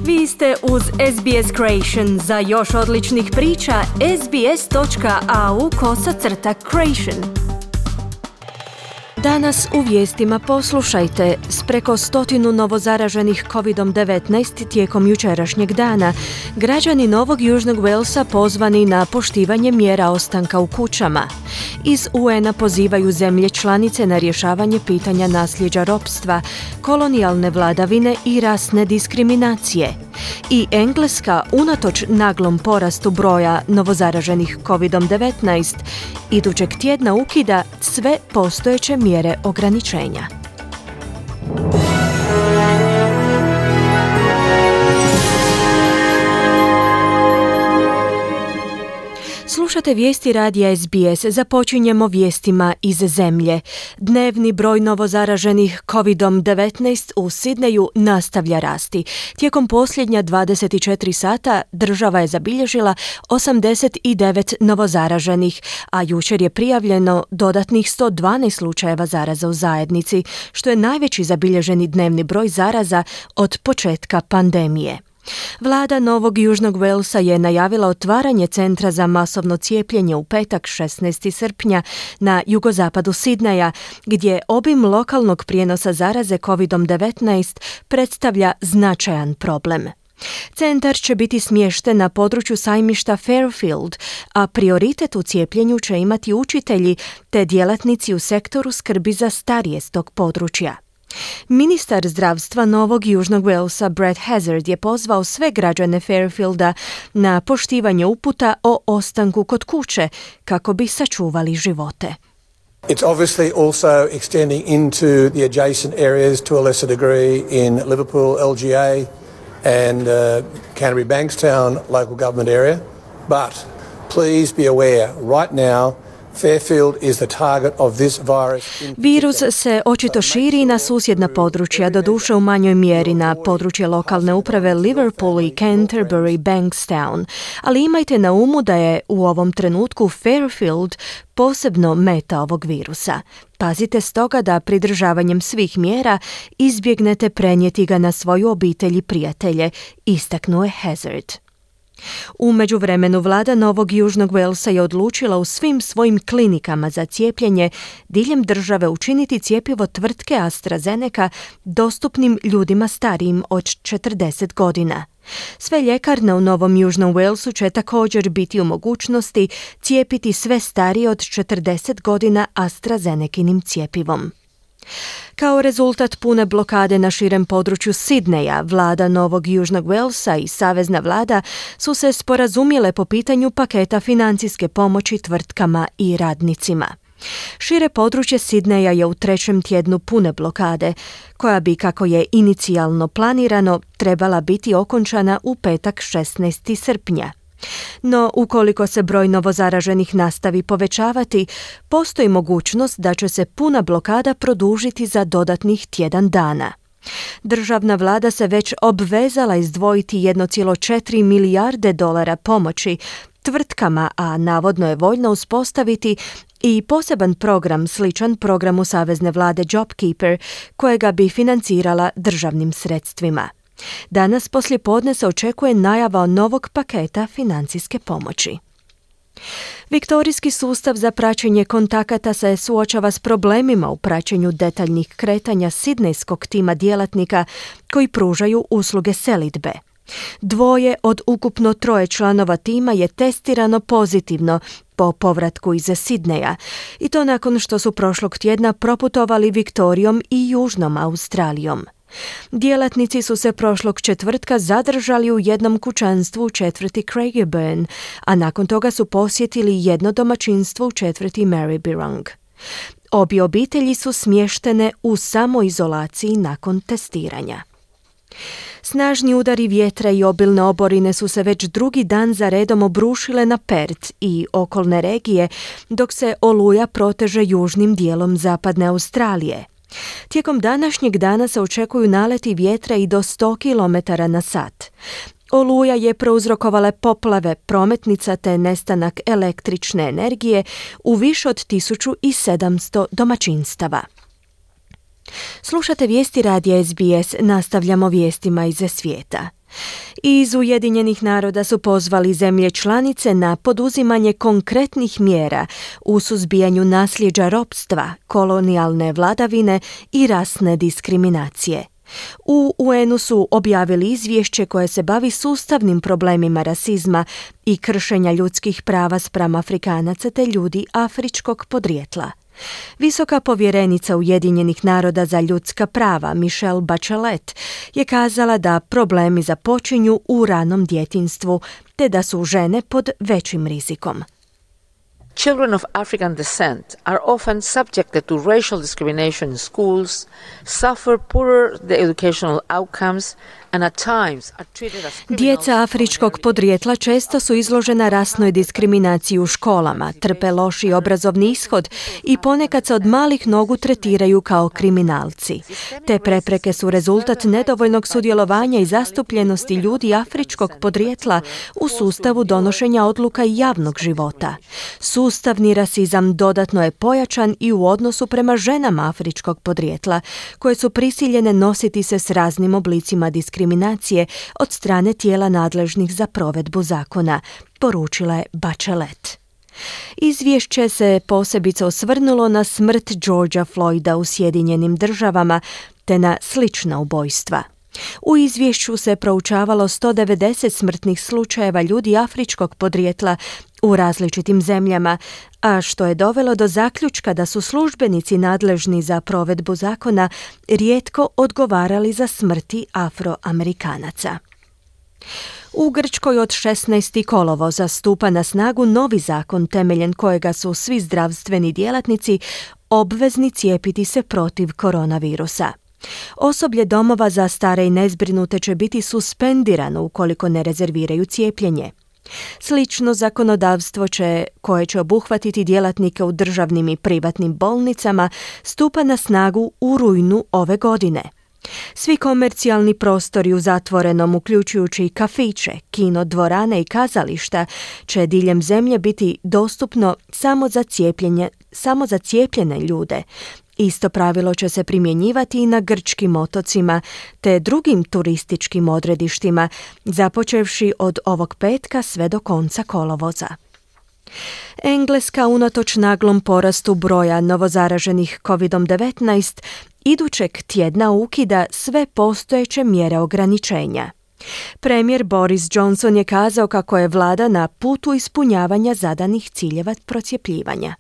Vi ste uz SBS Creation. Za još odličnih priča, sbs.au/creation. Danas u vijestima poslušajte, s preko 100 novozaraženih COVID-19 tijekom jučerašnjeg dana, građani Novog Južnog Walesa pozvani na poštivanje mjera ostanka u kućama. Iz UN-a pozivaju zemlje članice na rješavanje pitanja nasljeđa ropstva, kolonijalne vladavine i rasne diskriminacije. I Engleska, unatoč naglom porastu broja novozaraženih COVID-19, idućeg tjedna ukida sve postojeće mjere ograničenja. Slušate vijesti radija SBS. Započinjemo vijestima iz zemlje. Dnevni broj novozaraženih COVID-19 u Sidneju nastavlja rasti. Tijekom posljednja 24 sata država je zabilježila 89 novozaraženih, a jučer je prijavljeno dodatnih 112 slučajeva zaraza u zajednici, što je najveći zabilježeni dnevni broj zaraza od početka pandemije. Vlada Novog Južnog Walesa je najavila otvaranje centra za masovno cijepljenje u petak 16. srpnja na jugozapadu Sidneja, gdje obim lokalnog prijenosa zaraze COVID-19 predstavlja značajan problem. Centar će biti smješten na području sajmišta Fairfield, a prioritet u cijepljenju će imati učitelji te djelatnici u sektoru skrbi za starije s tog područja. Ministar zdravstva Novog Južnog Walesa Brett Hazzard je pozvao sve građane Fairfielda na poštivanje uputa o ostanku kod kuće kako bi sačuvali živote. It's obviously also extending into the adjacent areas to a lesser degree in Liverpool, LGA and Canterbury Bankstown local government area. But please be aware, right now Fairfield is the target of this virus. Virus se očito širi na susjedna područja, doduše u manjoj mjeri na područje lokalne uprave Liverpool i Canterbury Bankstown, ali imajte na umu da je u ovom trenutku Fairfield posebno meta ovog virusa. Pazite stoga da pridržavanjem svih mjera izbjegnete prenijeti ga na svoju obitelj i prijatelje, istaknuo je Hazzard. U međuvremenu vlada Novog Južnog Walesa je odlučila u svim svojim klinikama za cijepljenje diljem države učiniti cjepivo tvrtke AstraZeneca dostupnim ljudima starijim od 40 godina. Sve ljekarne u Novom Južnom Walesu će također biti u mogućnosti cijepiti sve starije od 40 godina AstraZenekinim cjepivom. Kao rezultat pune blokade na širem području Sidneja, vlada Novog Južnog Walesa i savezna vlada su se sporazumjele po pitanju paketa financijske pomoći tvrtkama i radnicima. Šire područje Sidneja je u trećem tjednu pune blokade, koja bi, kako je inicijalno planirano, trebala biti okončana u petak 16. srpnja. No, ukoliko se broj novozaraženih nastavi povećavati, postoji mogućnost da će se puna blokada produžiti za dodatnih tjedan dana. Državna vlada se već obvezala izdvojiti 1,4 milijarde dolara pomoći tvrtkama, a navodno je voljna uspostaviti i poseban program sličan programu savezne vlade JobKeeper, kojega bi financirala državnim sredstvima. Danas poslijepodne se očekuje najava novog paketa financijske pomoći. Viktorijski sustav za praćenje kontakata se suočava s problemima u praćenju detaljnih kretanja sidnejskog tima djelatnika koji pružaju usluge selidbe. 2 od ukupno 3 članova tima je testirano pozitivno po povratku iz Sidneja, i to nakon što su prošlog tjedna proputovali Viktorijom i Južnom Australijom. Djelatnici su se prošlog četvrtka zadržali u jednom kućanstvu u četvrti Craigieburn, a nakon toga su posjetili jedno domaćinstvo u četvrti Maryborough. Obje obitelji su smještene u samoizolaciji nakon testiranja. Snažni udari vjetra i obilne oborine su se već drugi dan za redom obrušile na Perth i okolne regije, dok se oluja proteže južnim dijelom zapadne Australije. Tijekom današnjeg dana se očekuju naleti vjetra i do 100 km na sat. Oluja je prouzrokovala poplave prometnica te nestanak električne energije u više od 1700 domaćinstava. Slušate vijesti radija SBS, nastavljamo vijestima iz svijeta. Iz Ujedinjenih naroda su pozvali zemlje članice na poduzimanje konkretnih mjera u suzbijanju nasljeđa ropstva, kolonijalne vladavine i rasne diskriminacije. U UN-u su objavili izvješće koje se bavi sustavnim problemima rasizma i kršenja ljudskih prava spram Afrikanaca te ljudi afričkog podrijetla. Visoka povjerenica Ujedinjenih naroda za ljudska prava Michelle Bachelet je kazala da problemi započinju u ranom djetinjstvu te da su žene pod većim rizikom. Children of African descent are often subjected to racial discrimination in schools, suffer poorer educational outcomes, and at times are treated as criminals. Djeca afričkog podrijetla često su izložena rasnoj diskriminaciji u školama, trpe loši obrazovni ishod i ponekad se od malih nogu tretiraju kao kriminalci. Te prepreke su rezultat nedovoljnog sudjelovanja i zastupljenosti ljudi afričkog podrijetla u sustavu donošenja odluka i javnog života. Sustavni rasizam dodatno je pojačan i u odnosu prema ženama afričkog podrijetla, koje su prisiljene nositi se s raznim oblicima diskriminacije od strane tijela nadležnih za provedbu zakona, poručila je Bachelet. Izvješće se posebice osvrnulo na smrt Georgea Floyda u Sjedinjenim Državama te na slična ubojstva. U izvješću se proučavalo 190 smrtnih slučajeva ljudi afričkog podrijetla u različitim zemljama, a što je dovelo do zaključka da su službenici nadležni za provedbu zakona rijetko odgovarali za smrti Afroamerikanaca. U Grčkoj od 16. kolovoza stupa na snagu novi zakon temeljem kojega su svi zdravstveni djelatnici obvezni cijepiti se protiv koronavirusa. Osoblje domova za stare i nezbrinute će biti suspendirano ukoliko ne rezerviraju cijepljenje. Slično zakonodavstvo koje će obuhvatiti djelatnike u državnim i privatnim bolnicama stupa na snagu u rujnu ove godine. Svi komercijalni prostori u zatvorenom, uključujući kafiće, kino, dvorane i kazališta, će diljem zemlje biti dostupno samo za cijepljene ljude. Isto pravilo će se primjenjivati i na grčkim otocima te drugim turističkim odredištima, započevši od ovog petka sve do konca kolovoza. Engleska unatoč naglom porastu broja novozaraženih COVID-19 idućeg tjedna ukida sve postojeće mjere ograničenja. Premijer Boris Johnson je kazao kako je vlada na putu ispunjavanja zadanih ciljeva procjepljivanja.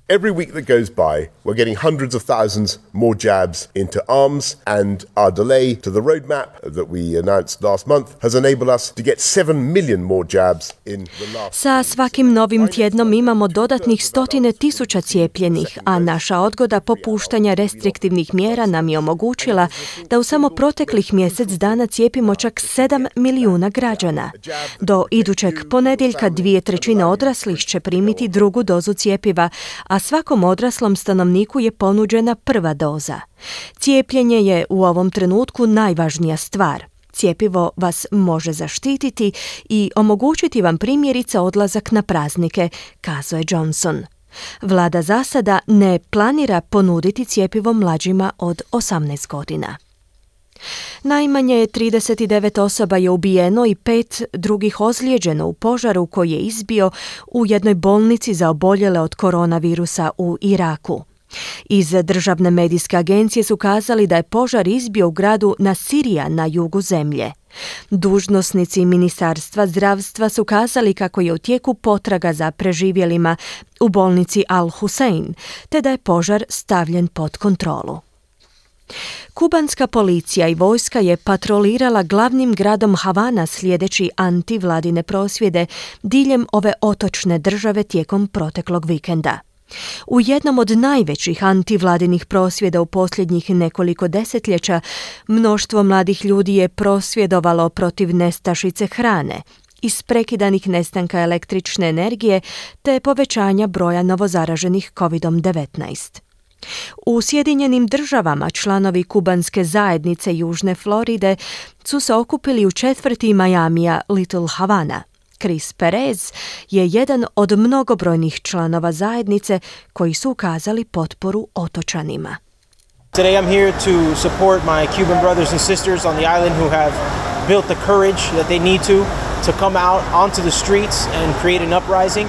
Every week that goes by, we're getting hundreds of thousands more jabs into arms, and our delay to the roadmap that we announced last month has enabled us to get 7 million more jabs in the last. Sa svakim novim tjednom imamo dodatnih 100,000 cijepljenih, a naša odgoda popuštanja restriktivnih mjera nam je omogućila da u samo proteklih mjesec dana cijepimo čak 7 milijuna građana. Do idućeg ponedjeljka 2/3 odraslih će primiti drugu dozu cjepiva, a svakom odraslom stanovniku je ponuđena prva doza. Cijepljenje je u ovom trenutku najvažnija stvar. Cjepivo vas može zaštititi i omogućiti vam primjerice odlazak na praznike, kazao je Johnson. Vlada za sada ne planira ponuditi cjepivo mlađima od 18 godina. Najmanje 39 osoba je ubijeno i 5 drugih ozlijeđeno u požaru koji je izbio u jednoj bolnici za oboljele od koronavirusa u Iraku. Iz državne medijske agencije su kazali da je požar izbio u gradu Nasirija na jugu zemlje. Dužnosnici Ministarstva zdravstva su kazali kako je u tijeku potraga za preživjelima u bolnici Al-Hussein, te da je požar stavljen pod kontrolu. Kubanska policija i vojska je patrolirala glavnim gradom Havana slijedeći antivladine prosvjede diljem ove otočne države tijekom proteklog vikenda. U jednom od najvećih antivladinih prosvjeda u posljednjih nekoliko desetljeća mnoštvo mladih ljudi je prosvjedovalo protiv nestašice hrane, isprekidanih nestanka električne energije te povećanja broja novozaraženih COVID-19. U Sjedinjenim Državama članovi kubanske zajednice Južne Floride su se okupili u četvrti Majamija Little Havana. Chris Perez je jedan od mnogobrojnih članova zajednice koji su ukazali potporu otočanima. Today I'm here to support my Cuban brothers and sisters on the island who have built the courage that they need to come out onto the streets and create an uprising.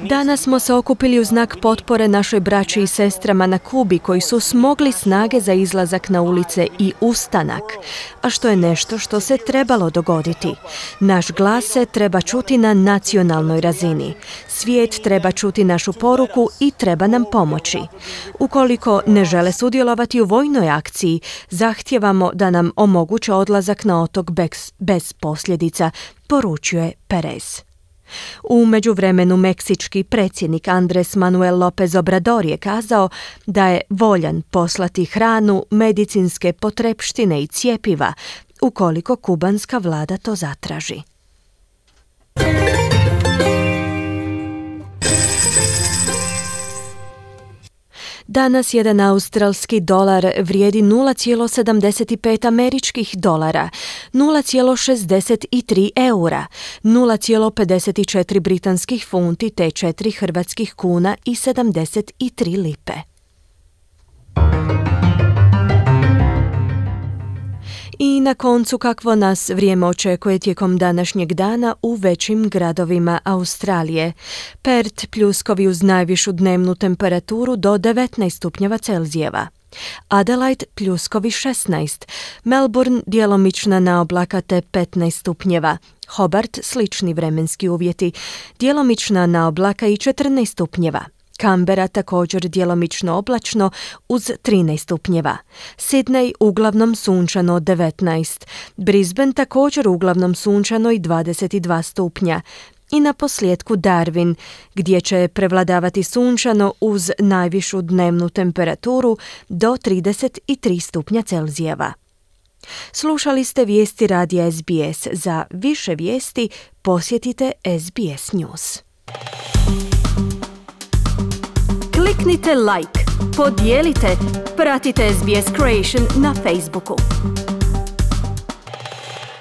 Danas smo se okupili u znak potpore našoj braći i sestrama na Kubi koji su smogli snage za izlazak na ulice i ustanak, a što je nešto što se trebalo dogoditi. Naš glas se treba čuti na nacionalnoj razini. Svijet treba čuti našu poruku i treba nam pomoći. Ukoliko ne žele sudjelovati u vojnoj akciji, zahtijevamo da nam omoguće odlazak na otok bez posljedica, poručuje Perez. U međuvremenu meksički predsjednik Andres Manuel López Obrador je kazao da je voljan poslati hranu, medicinske potrepštine i cjepiva ukoliko kubanska vlada to zatraži. Danas jedan australski dolar vrijedi 0,75 američkih dolara, 0,63 eura, 0,54 britanskih funti te 4 hrvatskih kuna i 73 lipe. I na koncu kakvo nas vrijeme očekuje tijekom današnjeg dana u većim gradovima Australije. Perth pljuskovi uz najvišu dnevnu temperaturu do 19 stupnjeva Celzijeva. Adelaide pljuskovi 16, Melbourne djelomična naoblaka te 15 stupnjeva. Hobart slični vremenski uvjeti, djelomična naoblaka i 14 stupnjeva. Canberra također djelomično oblačno uz 13 stupnjeva. Sydney uglavnom sunčano 19. Brisbane također uglavnom sunčano i 22 stupnja. I na posljedku Darwin, gdje će prevladavati sunčano uz najvišu dnevnu temperaturu do 33 stupnja Celzijeva. Slušali ste vijesti radija SBS. Za više vijesti posjetite SBS News. Kliknite like, podijelite, pratite SBS Creation na Facebooku.